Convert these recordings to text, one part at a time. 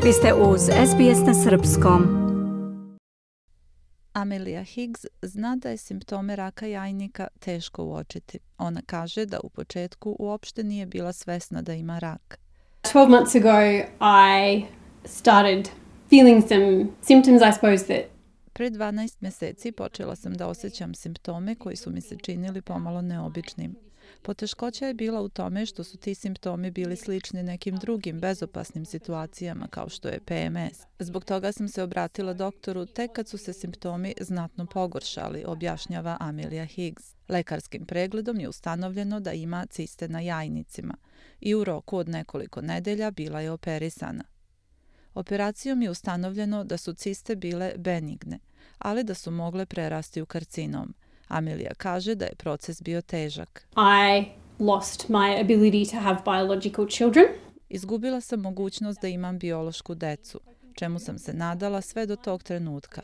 Vi ste uz SBS na srpskom. Amelia Higgs zna da je simptome raka jajnika teško uočiti. Ona kaže da u početku uopšte nije bila svesna da ima rak. 12 months ago, I started feeling some symptoms, I suppose, that Pre 12 mjeseci počela sam da osjećam simptome koji su mi se činili pomalo neobičnim. Poteškoća je bila u tome što su ti simptomi bili slični nekim drugim bezopasnim situacijama kao što je PMS. Zbog toga sam se obratila doktoru tek kad su se simptomi znatno pogoršali, objašnjava Amelia Higgs. Lekarskim pregledom je ustanovljeno da ima ciste na jajnicima i u roku od nekoliko nedelja bila je operisana. Operacijom je ustanovljeno da su ciste bile benigne, ali da su mogle prerasti u karcinom. Amelia kaže da je proces bio težak. I lost my ability to have biological children. Izgubila sam mogućnost da imam biološku decu, čemu sam se nadala sve do tog trenutka.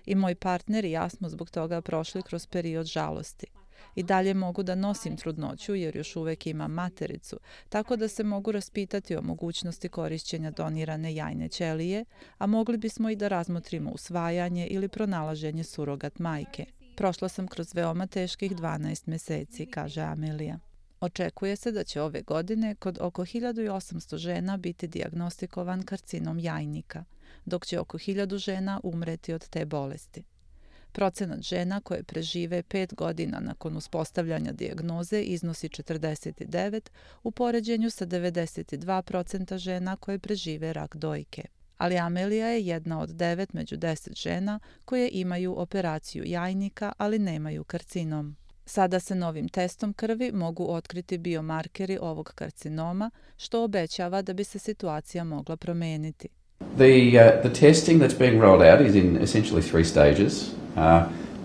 I moj partner i ja smo zbog toga prošli kroz period žalosti. I dalje mogu da nosim trudnoću jer još uvek imam matericu, tako da se mogu raspitati o mogućnosti korišćenja donirane jajne ćelije, a mogli bismo i da razmotrimo usvajanje ili pronalaženje surogat majke. Prošla sam kroz veoma teških 12 mjeseci, kaže Amelia. Očekuje se da će ove godine kod oko 1800 žena biti dijagnostikovan karcinom jajnika, dok će oko 1000 žena umreti od te bolesti. Procenat žena koje prežive 5 godina nakon uspostavljanja dijagnoze iznosi 49 u poređenju sa 92% žena koje prežive rak dojke. Ali Amelia je jedna od 9 među 10 žena koje imaju operaciju jajnika, ali nemaju karcinom. Sada se novim testom krvi mogu otkriti biomarkeri ovog karcinoma, što obećava da bi se situacija mogla promijeniti. The testing that's being rolled out is in essentially 3 stages.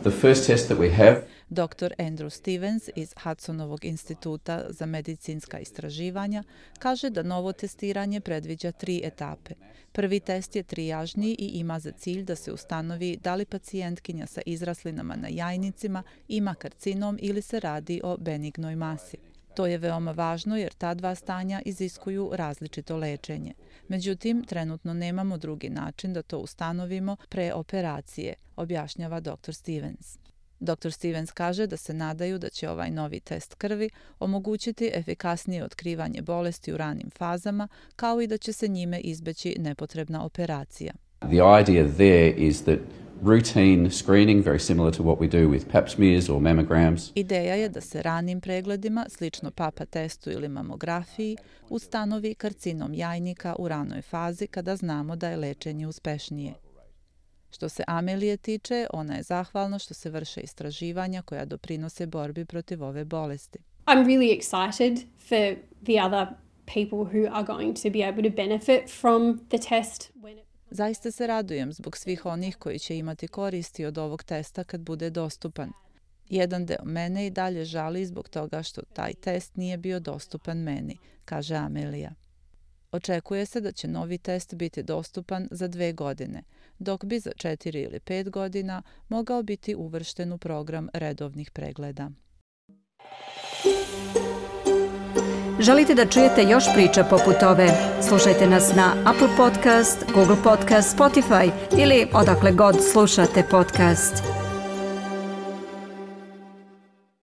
The first test that we have Dr. Andrew Stevens iz Hudsonovog instituta za medicinska istraživanja kaže da novo testiranje predviđa 3 etape. Prvi test je trijažni i ima za cilj da se ustanovi da li pacijentkinja sa izraslinama na jajnicima ima karcinom ili se radi o benignoj masi. To je veoma važno jer ta dva stanja iziskuju različito lečenje. Međutim, trenutno nemamo drugi način da to ustanovimo pre operacije, objašnjava dr. Stevens. Dr. Stevens kaže da se nadaju da će ovaj novi test krvi omogućiti efikasnije otkrivanje bolesti u ranim fazama, kao i da će se njime izbeći nepotrebna operacija. The idea there is that routine screening, very similar to what we do with pap smears or mammograms. Ideja je da se ranim pregledima, slično papa testu ili mamografiji, ustanovi karcinom jajnika u ranoj fazi kada znamo da je lečenje uspešnije. Što se Amelije tiče, ona je zahvalna što se vrše istraživanja koja doprinose borbi protiv ove bolesti. I'm really excited for the other people who are going to be able to benefit from the test. Zaista se radujem zbog svih onih koji će imati koristi od ovog testa kad bude dostupan. Jedan deo mene i dalje žali zbog toga što taj test nije bio dostupan meni, kaže Amelia. Očekuje se da će novi test biti dostupan za 2 godine, dok bi za 4 ili 5 godina mogao biti uvršten u program redovnih pregleda. Želite da čujete još priča poput ove? Slušajte nas na Apple Podcast, Google Podcast, Spotify ili odakle god slušate podcast.